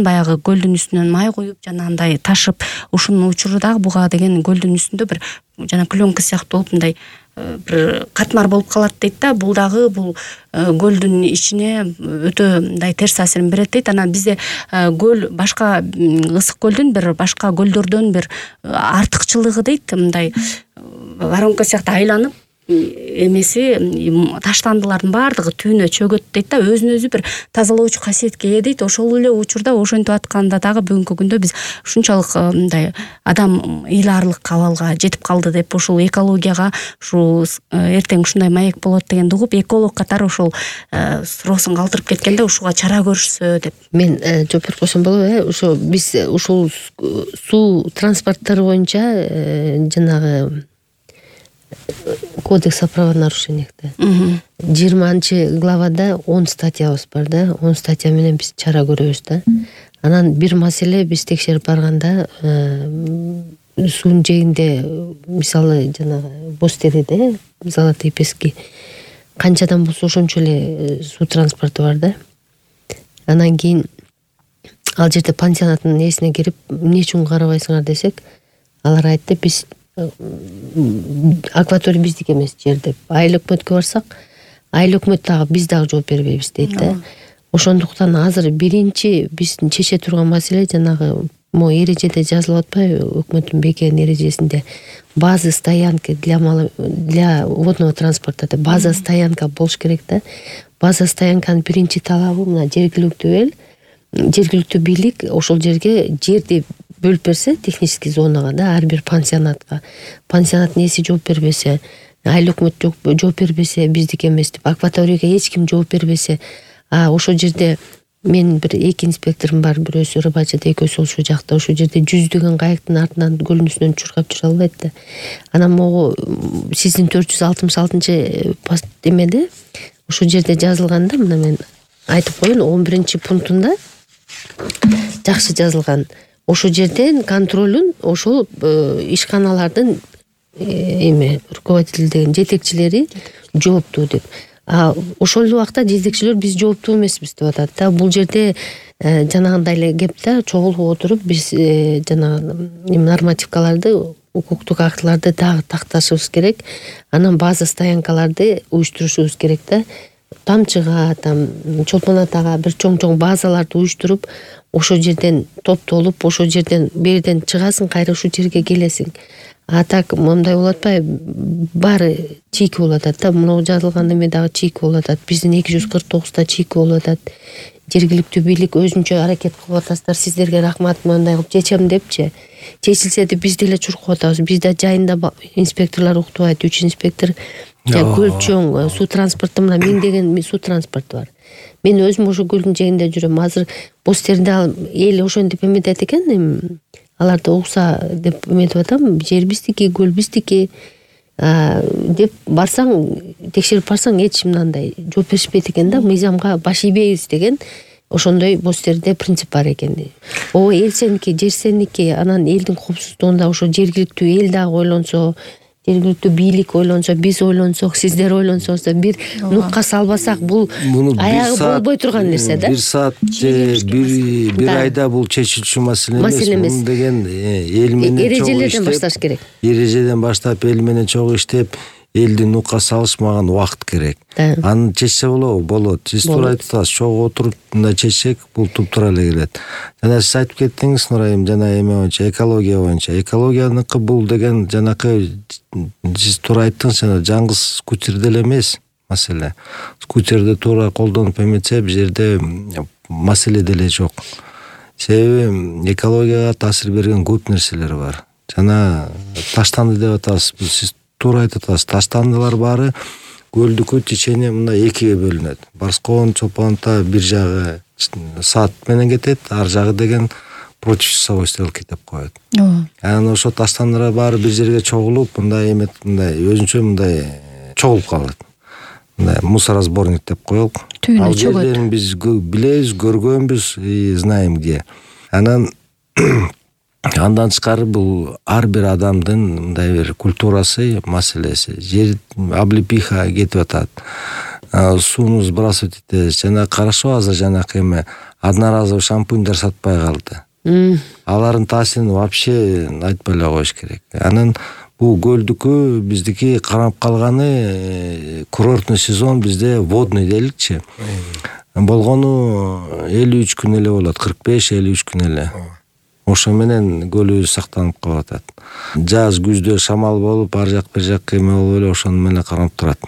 баягы көлдүн үстүнөн май куюп, жанагындай ташып, ушунун учуру дагы буга деген көлдүн үстүндө бир жана пленка сыяктуу болуп мындай бир катмар болуп калат дейт да. Бул дагы бул көлдүн ичине өтө мындай терс таасирин берет дейт. Анан бизде көл башка Ысык көлдүн бир башка көлдөрдөн бир артыкчылыгы дейт, мындай воронка сыяктуу айланып эмеси таштандылардын баардыгы түбүнө чөгөт дейт да, өзүн өзү бир тазалоочу касиетке ээ дейт. Ошол эле учурда ошентип атканда дагы бүгүнкү күндө биз ушунчалык мындай адам ыйлаарлык абалга жетип калды деп, ушул экологияга ушул эртең ушундай маек болот дегенди угуп, эколог катары ошол суроосун калтырып кеткенде ушуга чара көрүшсө деп. Мен жооп берип койсом болобу? Ошо биз ушул суу транспорттор боюнча жанагы кодекс о правонарушениях 20-главада 10 статьябыз бар да. 10 статья менен биз чара көрөбүз да. Анан бир маселе биз текшерип барганда суунун жээгинде мисалы жанагы боз териде Золотые пески канчадан болсо ошончо эле суу транспорту бар да. Анан кийин ал жерде пансионаттын несине кирип эмне үчүн карабайсыңар десек, алар айтты биз акватория биздики эмес жер деп. Айыл өкмөткө барсак, айыл өкмөт дагы биз дагы жооп бербейбиз дейт да. Ошондуктан азыр биринчи биздин чече турган маселе жанагы могу эрежеде жазылып атпайбы, өкмөттүн бекем эрежесинде база стоянки для водного транспорта деп база стоянка болуш керек да. База стоянканын биринчи талабы мына жергиликтүү жергиликтүү бийлик ошол жерге жерди бөлүп берсе технический зонага да, ар бир пансионатка. Пансионаттын ээси жооп бербесе, айыл өкмөт жооп бербесе, биздики эмес деп, акваторияга эч ким жооп бербесе, ошол жерде мен бир 2 инспекторум бар, бирөөсү рыбачыда, экөөсү ошол жакта. Ошол жерде жүздөгөн кайыктын артынан көлүнүсүнөн чуркап жүрө албайт да. Анан могу сиздин 466 эмеде ошол жерде жазылганда, мына мен айтып коеюн, 11 пунктунда жакшы жазылган. Ошол жерден контролун ошол ишканалардын руководитель деген жетекчилери жооптуу деп. Ошол эле убакта жетекчилер биз жооптуу эмеспиз деп атат да. Бул жерде жанагындай эле кеп да, чогулуп отуруп биз жанагы нормативкаларды, укуктук актыларды дагы такташыбыз керек. Анан база стоянкаларды уюштурушубуз керек да. Тамчыга, Чолпон Атага бир чоң базаларды уюштуруп, ошол жерден топтолуп, ошол жерден берден чыгасың, кайра ушул жерге келесиң. Так мындай болуп атпайбы? Баары чийки болуп атат да. Мына жазылган эме дагы чийки болуп атат. Биздин 249 чийки болуп атат. Жергиликтүү бийлик өзүнчө аракет кылып атасыздар. Сиздерге рахмат, мындай кылып чечем депчи. Чечилсе да биз деле чуркап атабыз. Бизде жайында инспекторлор уктубайт, 3 инспектор көл-чоң суу транспорту, мына миңдеген суу транспорту бар. Мен өзүм ошо көлдүн жээгинде жүрөм. Азыр боз теринде эл ошентип эметет экен, аларды угса деп эметип атам, жер биздики, көл биздики деп барсаң, текшерип барсаң эч мындай жооп беришпейт экен да, мыйзамга баш ийбейбиз деген ошондой боз терде принцип бар экен. Эл сеники, жер сеники, анан элдин коопсуздугунда ошо жергиликтүү эл дагы ойлонсо, жергиликтүү бийлик ойлонсо, биз ойлонсок, сиздер ойлонсоңуз да бир нукка салбасак, бул аягы болбой турган нерсе да. Бир саат же бир айда бул чечилчү маселе эмес. Бул деген эл менен эрежелерден башташ керек. Эрежеден баштап эл менен чогуу иштеп, элди нукка салышмаган убакыт керек. Аны чечсе болот. Сиз туура айтып атасыз, чогуу отуруп мындай чечсек, бул туптура эле келет. Жана сиз айтып кеттиңиз, Нурайым, жана эме боюнча, экология боюнча. Экологияныкы бул деген жанакы сиз туура айттыңыз, жана жаңгыз скутерде эле эмес маселе. Скутерди туура колдонуп эметсе, бул жерде маселе деле жок. Себеби экологияга таасир берген көп нерселер бар. Жана таштанды деп атасыз. Сиз туура айтып атасыз. Таштандылар баары көлдүкү течение мына экиге бөлүнөт. Барскон, Чолпон Ата бир жагы саат менен кетет, ар жагы деген против часовой стрелки деп коет. Анан ошо таштандылар баары бир жерге чогулуп, мындай өзүнчө мындай чогулуп калат. Мындай мусоросборник деп коелук. Ал жерлерин биз билебиз, көргөнбүз, знаем где. Анан тышкары бул ар бир адамдын мындай бир культурасы, маселеси. Жер облепиха кетип атат. Сууну сбрасывать этебиз. Жана карашып азыр жанакы эме одноразовый шампуньдар сатпай калды. Алардын таасирин вообще айтпай эле коюш керек. Анан бул көлдүкү биздики карап калганы курортный сезон бизде водный дейликчи. Болгону 53 күн эле болот, 45-53 күн эле. ошо менен көлүбүз сактанып калып атат. Жаз күздө шамал болуп ар жак бир жак эме болуп эле ошону менен карап турат,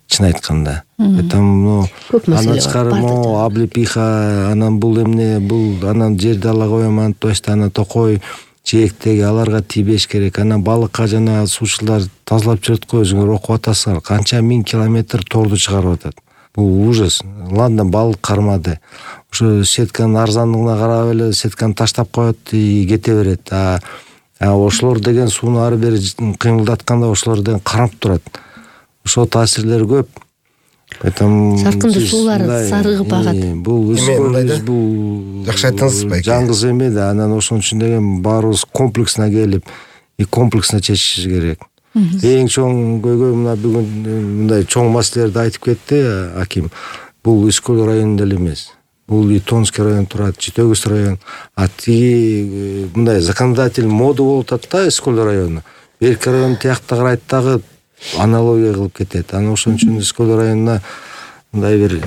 чын айтканда. Поэтому андан тышкары облепиха, анан бул эмне, бул анан жерди ала коем, антып анан токой жээктеги аларга тийбеш керек. Анан балыкка жана суучулар тазалап жүрөт го, өзүңөр окуп атасыңар, канча 1000 километр торду чыгарып атат. Бул ужас. Ладно, балык кармады. Ошо сетканын арзандыгына карап эле сетканы таштап коет, кете берет. Ошолор деген сууну ары бери кыймылдатканда ошолор деген карап турат. Ошо таасирлери көп. Поэтому саркынды суулар сарыгып агат. Бул жакшы айттыңыз байке. Жаңгыз эме да, анан ошон үчүн деген баарыбыз комплексно келип, комплексно чечишибиз керек. Эң чоң көйгөй мына бүгүн мындай чоң маселелерди айтып кетти аким. Бул Искөл районунда эле эмес. Бул и Тонский район турат, Читөгүз район. Тиги мындай законодатель мода болуп атат да Искөл району. Берки район тиякта карайт дагы аналогия кылып кетет. Анан ошон үчүн Искөл районуна мындай бир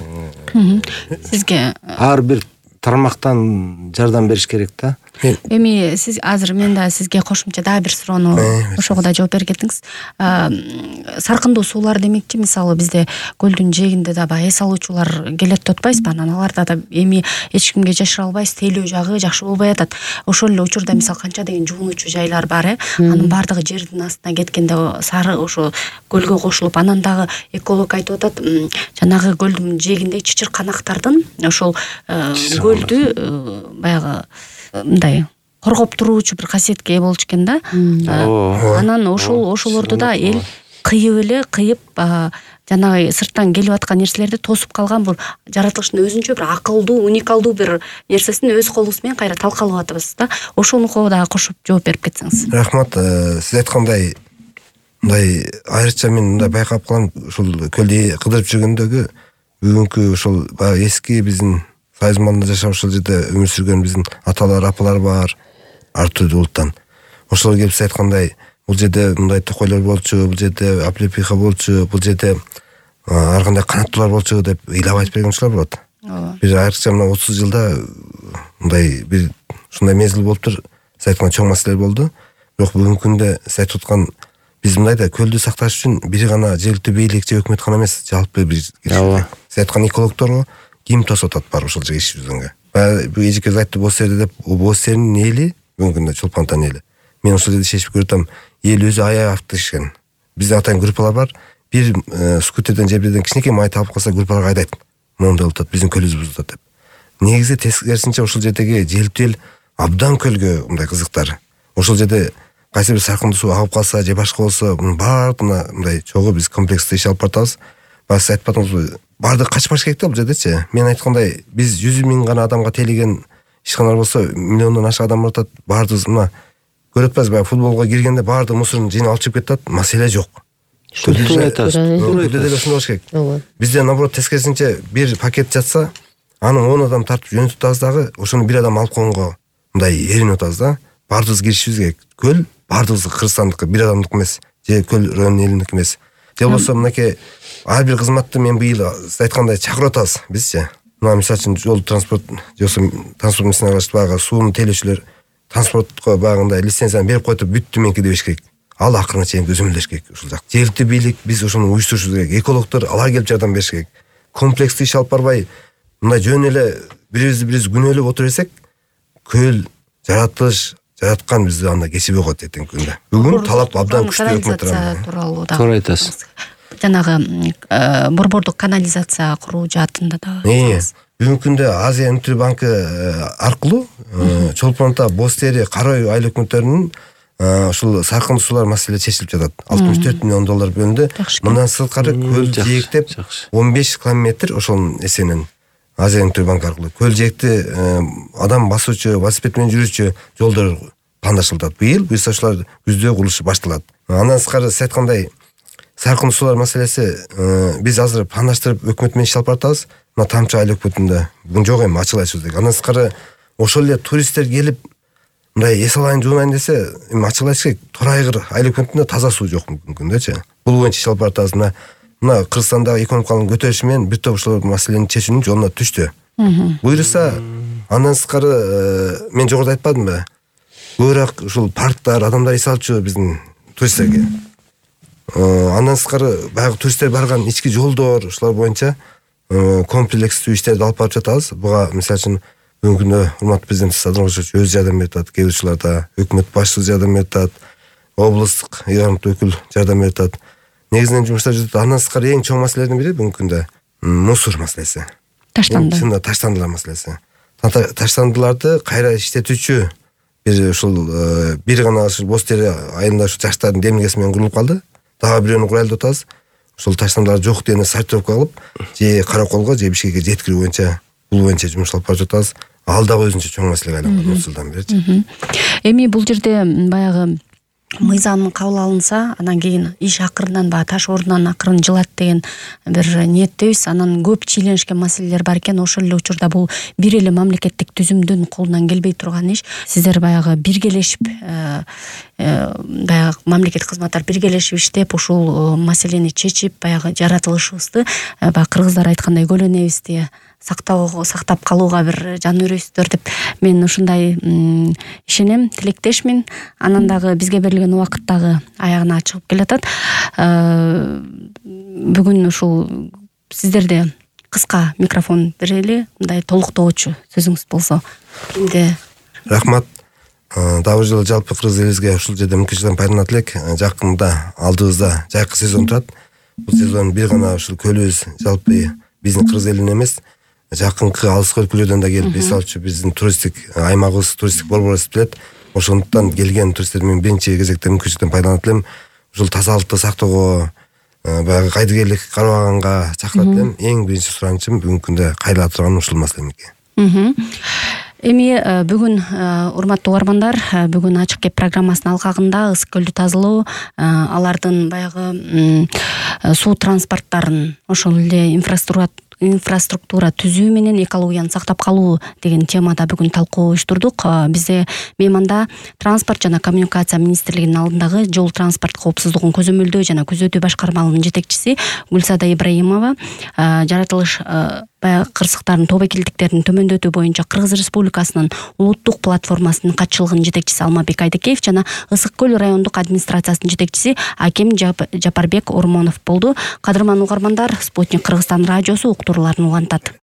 сизге ар бир тармактан жардам бериш керек да. Эми сиз азыр мен да сизге кошумча дагы бир суроону ошого да жооп берип кеттиңиз. Саркындуу суулар демекчи, мисалы бизде көлдүн жээгинде да баягы эс алуучулар келет деп атпайсызбы? Анан аларда да эми эч кимге жашыра албайбыз, тейлөө жагы жакшы болбой атат. Ошол эле учурда мисалы канча деген жуунуучу жайлар бар, анын баардыгы жердин астына кеткенде сары ошо көлгө кошулуп, анан дагы эколог айтып атат, жанагы көлдүн жээгиндеги чычырканактардын ошол көлдү баягы мындай коргоп туруучу бир касиетке ээ болчу экен да. Анан ошолорду да эл кыйып жанагы сырттан келип аткан нерселерди тосуп калган, бул жаратылыштын өзүнчө бир акылдуу, уникалдуу бир нерсесин өз колубуз менен кайра талкалап атабыз да. Ошонуко дагы кошуп жооп берип кетсеңиз. Рахмат. Сиз айткандай мындай айрыкча мен мындай байкап калам, ушул көлдү кыдырып жүргөндөгү бүгүнкү ушул эски биздин Сайыз манда жашап ошол жерде өмүр сүргөн биздин аталар, апалар бар, ар түрдүү улуттан. Ошолор келип сиз айткандай, бул жерде мындай токойлор болчу, бул жерде облепиха болчу, бул жерде ар кандай канаттуулар болчу деп ыйлап айтып берген учурлар болот. Бир айрыкча мына 30 жылда мындай бир ушундай мезгил болуптур. Сиз айткан чоң маселелер болду. Бирок бүгүнкү күндө сиз айтып аткан биз мындай да көлдү сакташ үчүн бир гана жергиликтүү бийлик же өкмөт гана эмес, жалпы бир сиз айткан экологторго ким тосуп атат бар ошол жерге иш жүзгөнгө. Бул эжекебиз айтты, бос жерде деп, бос жердин эли бүгүнкү күндө Чолпонтан эли. Мен ошол жерде шешип көрүп атам, эл өзү аяй автышкен. Бизде атайын группалар бар. Бир скутерден же бирден кичинекей май табып калса группаларга айдайт. Моундай болуп атат, биздин көлүбүз бузулуп атат деп. Негизи тескерисинче ошол жердеги желтил абдан көлгө мындай кызыктар. Ошол жерде кайсы бир саркындуу суу агып калса же башка болсо, мунун баардыгына мындай чогуу биз комплекстүү иш алып баратабыз. Башка айтып атыңызбы? Бардык качпаш керек да бул жердечи. Мен айткандай, биз 100 000 гана адамга тейлеген ишканалар болсо, миллиондон ашык адам баратат. Бардыгы мына көрүп атпайсызбы, баягы футболго киргенде бардык мусорун жыйнап алып чыгып кетет, маселе жок. Туура айтасыз. Бизде деле ошондой болуш керек. Бизде наоборот тескерисинче бир пакет жатса, аны 10 адам тартып жөнөтүп атабыз дагы, ошону бир адам алып койгонго мындай эринип атабыз да. Бардыгыбыз киришибиз керек. Көл бардыгыбыз Кыргызстандыкы, бир адамдык эмес, же көл районунун элиники эмес. Же болбосо мынакей ар бир кызматты мен быйыл сиз айткандай чакырып атабыз бизчи. Мына мисалы үчүн жол транспорт жоосо транспорт мисына караштуу баягы сууну тейлөөчүлөр транспортко баягындай лицензияны берип коюп бүттү меники дебеш керек. Ал акырына чейин көзөмөлдөш керек ушул жак. Жергиликтүү бийлик биз ошону уюштурушубуз керек. Экологдор алар келип жардам бериш керек. Комплекстүү иш алып барбай, мындай жөн эле бириз күнөөлөп отура берсек, көл жаратылыш жараткан бизди анда кечиби койт эртеңки күндө. Бүгүн талап абдан күчтүү өкмөт тууралуу да. Туура айтасыз. Жанагы борбордук канализация куруу жаатында да. Бүгүнкү күндө Азия өнүктүү банкы аркылуу Чолпонто, Боз Тери, Кара үй айыл өкмөттөрүнүн ушул саркындуу суулар маселе чечилип жатат. 64 миллион доллар бөлүндү. Мындан сырткары көл жээктеп 15 километр ошонун эсенен Азия өнүктүү банкы аркылуу көл жээкти адам басуучу, велосипед менен жүрүүчү жолдор пландашылат. Быйыл буюрса ушулар күздө курулушу башталат. Андан сырткары сиз айткандай саркындуу суулар маселеси биз азыр пландаштырып өкмөт менен иш алып баратабыз. Мына Тамчы айыл өкмөтүндө бүгүн жок эми ачык айтышыбыз керек. Андан сырткары ошол эле туристтер келип мындай эс алайын, жуунайын десе, эми ачык айтыш керек, Торайгыр айыл өкмөтүндө таза суу жок бүгүнкү күндөчү. Бул боюнча иш алып баратабыз. Мына Кыргызстандагы экономикалык көтөрүшү менен бир топ ушул маселени чечүүнүн жолуна түштү. Буюрса андан сырткары мен жогоруда айтпадымбы? көбүрөөк ушул парктар, адамдар эс алчу биздин туристтерге. Андан сырткары баягы туристтер барган ички жолдор, ушулар боюнча комплекстүү иштерди алып барып жатабыз. Буга мисалы үчүн бүгүнкү күндө урматтуу президент Садыр Рахимович өзү жардам берип атат, кээ бир учурларда өкмөт башчысы жардам берип атат, облустук ыйгарымдуу өкүл жардам берип атат. Негизинен жумуштар жүрүп. Андан сырткары эң чоң маселелердин бири бүгүнкү күндө мусор маселеси. Таштанды. Чынында таштандылар маселеси. Таштандыларды кайра иштетүүчү бир ушул бир гана боз тери айылында ушу жаштардын демилгеси менен курулуп калды. Дагы бирөөнү курайлы деп атабыз. Ушул таштандылар жок дегенде сортировка кылып, же Караколго, же Бишкекке жеткирүү боюнча бул боюнча жумуш алып барып жатабыз. Ал дагы өзүнчө чоң маселеге айланган 30 жылдан бери. Эми бул жерде баягы мыйзам кабыл алынса, анан кийин иш акырынан баягы таш ордунан акырын жылат деген бир ниеттебиз. Анан көп чийленишкен маселелер бар экен. Ошол эле учурда бул бир эле мамлекеттик түзүмдүн колунан келбей турган иш. Сиздер баягы биргелешип баягы мамлекеттик кызматтар биргелешип иштеп ушул маселени чечип, баягы жаратылышыбызды баягы кыргыздар айткандай көлөнөбүздү сактап калууга бир жан үрөйсүздөр деп мен ушундай ишенем, тилектешмин. Анан дагы бизге берилген убакыт дагы аягына чыгып келатат. Бүгүн ушул сиздерде кыска микрофон берели, мындай толуктоочу сөзүңүз болсо. Кимде? Рахмат. Дагы бир жолу жалпы кыргыз элибизге ушул жерде мүмкүнчүлүктөн пайдаланат элек. Жакында алдыбызда жайкы сезон турат. Бул сезон бир гана ушул көлүбүз жалпы биздин кыргыз элинин эмес, жакынкы алыс өлкөлөрдөн да келип эс алчу биздин туристтик аймагыбыз, туристтик борбор эсептелет. Ошондуктан келген туристтер мен биринчи кезекте мүмкүнчүлүктөн пайдаланат элем. Ушул тазалыкты сактоого, баягы кайдыгерлик карабаганга чакырат элем. Эң биринчи суранычым бүгүнкү күндө кайрыла турган ушул маселе менен. Эми бүгүн урматтуу угармандар, бүгүн ачык кеп программасынын алкагында Ысык көлдү тазалоо, алардын баягы суу транспорттарын, ошол эле инфраструктура түзүү менен экологияны сактап калуу деген темада бүгүн талкуу уюштурдук. Бизде мейманда транспорт жана коммуникация министрлигинин алдындагы жол транспорт коопсуздугун көзөмөлдөө жана күзөтүү башкармалынын жетекчиси Гүлсада Ибраимова, жаратылыш кырсыктардын тобокелдиктерин төмөндөтүү боюнча Кыргыз Республикасынын улуттук платформасынын катчылыгынын жетекчиси Алмазбек Айдекеев жана Ысык көл райондук администрациясынын жетекчиси Аким Жапарбек Ормонов болду. Кадырман угармандар, Спутник Кыргызстан радиосу уктурууларын улантат.